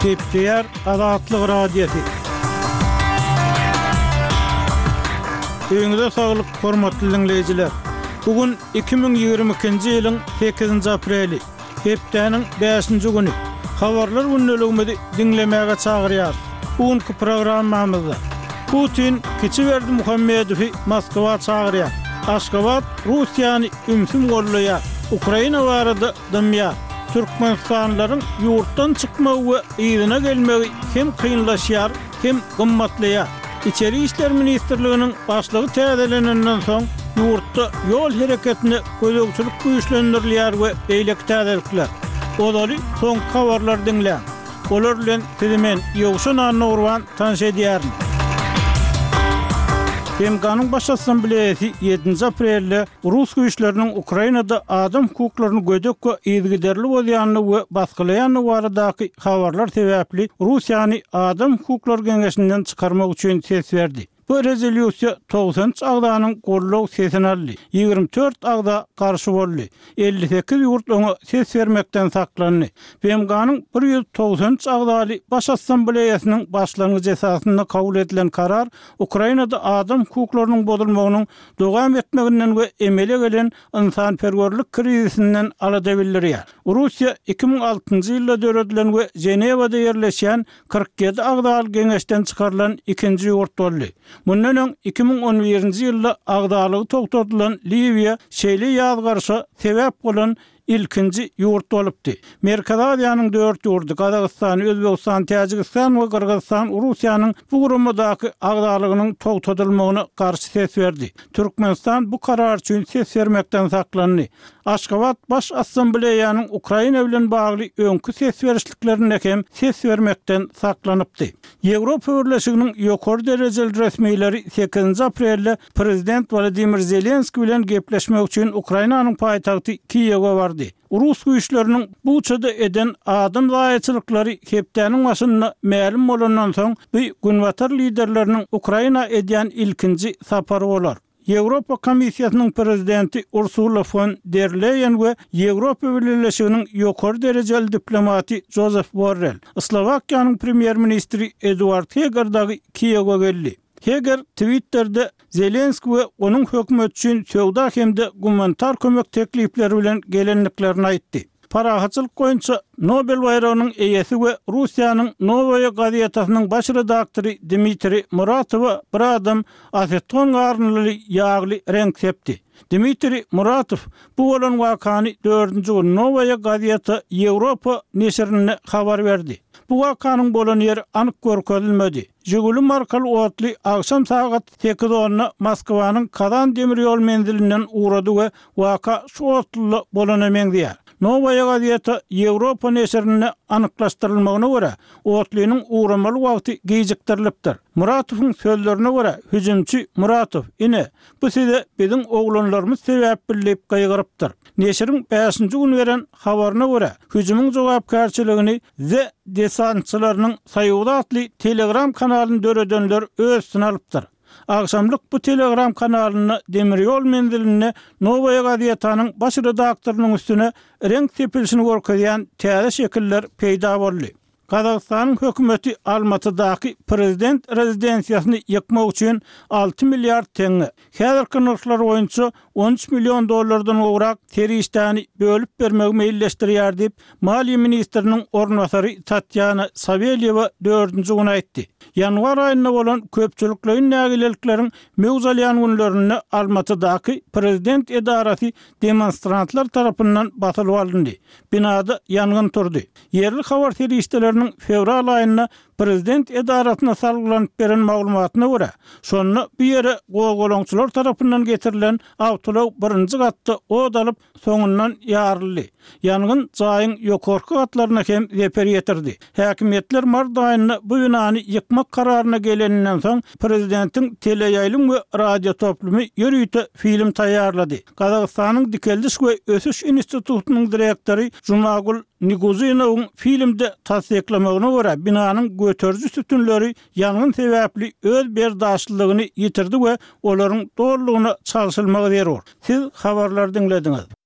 Gepleýär Azatlyk Radiosy. Öýüňize saglyk, hormatly diňleýjiler! Bu gün 2022-nji ýylyň sekizinji apreli, hepdäniň bäşinji güni. Habarlar gündeligimizi diňlemäge çagyrýarys. Bu günki programmamyzda Putin kiçi Berdimuhamedowy Moskwa çagyrýar. Aşgabat Russiýany ümsüm goldaýar. Ukraina barada dymýar. Türkmenistanlylaryň ýurtdan çykmagy we yzyna gelmegi hem kynlaşýar, hem gymmatlaýar. Içeri işler ministrliginiň başlygy täzelenenden soň, ýurtda ýol hereketine gözegçilik güýçlendirilýär we beýleki täzelikler. Ozaly soňky habarlary diňläň. Olar bilen sizi men, Ýowşan Annagurban tanyş edýärin. BMG-niň Baş Assambleýasy ýedinji aprelde rus güýçleriniň Ukrainada adam hukuklaryny gödek we yzygiderli bozýandygy we basgylaýandygy baradaky habarlar sebäpli Russiýany Adam hukuklary geňeşinden çykarmak üçin ses berdi. Bu rezolýusiýa 93 agzanyň goldaw sesini aldy, 24 agza garşy boldy, 58 ýurt oňa ses bermekden saklandy. BMG-niň 193 agzaly Baş Assambleýasynyň başlangyjy esasynda kabul edilen karar Ukrainada adam hukuklarynyň bozulmagynyň dowam etmeginden we emele gelen ynsanperwerlik krizisinden alada bildirýär. Russiýa 2006-njy ýylda döredilen we Ženewada ýerleşýän 47 agzaly geňeşden çykarylan ikinji ýurt boldy. Mundan öň 2011-nji ýylda agzalygy togtadylan Liwiýa şeýle ýazgaryşa sebäp bolan ilkinji ýurt bolupdy. Merkezi Aziýanyň dört ýurdy, Gazagystan, Özbegistan, Täjigistan we Gyrgyzystan Russiýanyň bu guramadaky agzalygynyň togtadylmagyna garşy ses berdi. Türkmenistan bu karar üçin ses bermekden saklandy. Aşgabat Baş Assambleýanyň Ukraina bilen bagly öňki ses berişliklerinde hem ses bermekden saklanypdy. Ýewropa Birleşiginiň ýokary derejeli resmileri sekizinji aprelde prezident Wolodymyr Zelenskiý bilen gepleşmek üçin Ukrainanyň paýtagty Kiýewe bardy. Rus güýçleriniň Buçada eden adam zaýaçylyklary hepdäniň başynda mälim bolandan soň, bu günbatar liderleriniň Ukraina edýän ilkinji sapary bolar. Ýewropa Komissiýasynyň prezidenti Ursula fon der Leýen we Ýewropa Bileleşiginiň ýokary derejeli diplomaty Jozef Borrel, Slowakiýanyň premýer-ministri Eduard Heger dagy Kiýewe geldi. Heger Twitterde Zelenskiý we onuň hökümeti üçin söwda hem-de gumanitar kömek teklipleri bilen gelendiklerini aýtdy. Parahatçylyk boýunça Nobel baýragynyň eýesi we Russiýanyň Nowaýa gazetasynyň baş redaktory Dmitriý Muratowa bir adam aseton garyndyly ýagly reňk sepdi. Dmitriý Muratow bu bolan wakany dördünji gün Nowaýa gazeta Ýewropa neşirinde habar berdi. Bu wakanyň bolan ýeri anyk görkezilmedi. Žiguli markaly otly agşam sagat sekiz onda Moskwanyň Kazan demir ýol menzilinden ugrady we Waka şu otluda bolana meňzeýär. Nowaýa gazeta Ýewropa neşirinde anyklaşdyrylmagyna görä, otlynyň ugramaly wagty gijikdirilipdir. Muratowyň sözlerine görä, hüjümçi Muratow, Ine, bu size biziň oglanlarymyz sebäpli diýip gygyrypdyr. Neşiriň bäşinji gün beren habaryna görä, hüjümiň jogapkärçiligini Z desantçylarynyň soýuzy atly Telegram kanalyny döredenler öz üstüne alypdyr. Agşamlyk bu Telegram kanalynda demir ýol menzilinde Nowaýa gazetanyň baş redaktorynyň üstüne reňk sepilişini görkezýän täze şekiller peýda boldy. Gazagystanyň hökümeti Almatydaky prezident rezidensiýasyny ýykmak üçin alty milliard teňňe, häzirki nyrhlar boýunça 13 million dollardan gowrak serişdäni bölüp bermegi meýilleşdirýär diýip, maliýe ministriniň orunbasary Tatýana Sawelýewa dördünji gün aýtdy. Ýanwar aýynda bolan köpçülikleýin nägilelikleriň möwç alýan günlerinde Almatydaky prezident edarasy demonstrantlar tarapyndan basylyp alyndy. Binada ýangyn turdy. Ýerli habar serişdeleriniň fewral aýynda Prezident edarasyna salgylanyp beren maglumatyna görä, şonda bu ýere gozgalaňçylar tarapyndan getirilen awtoulag birinji gatda ot alyp, soňundan ýaryldy. Ýangyn jaýyň ýokarky gatlaryna hem zeper ýetirdi. Häkimiýetler mart aýynda bu binany ýykmak kararyna geleninden soň, prezidentiň teleýaýlym we radiotoplumy ýörite film taýýarlady. Gazagystanyň Dikeldiş we ösüş institutynyň direktory Jumagul Niguzinowyň filmde tassyklamagyna görä, binanyň göteriji sütünleri ýangyn sebäpli öz berdaşlylygyny ýitirdi we olaryň dolulygyna çalşylmagy zerur. Siz habarlary diňlediňiz.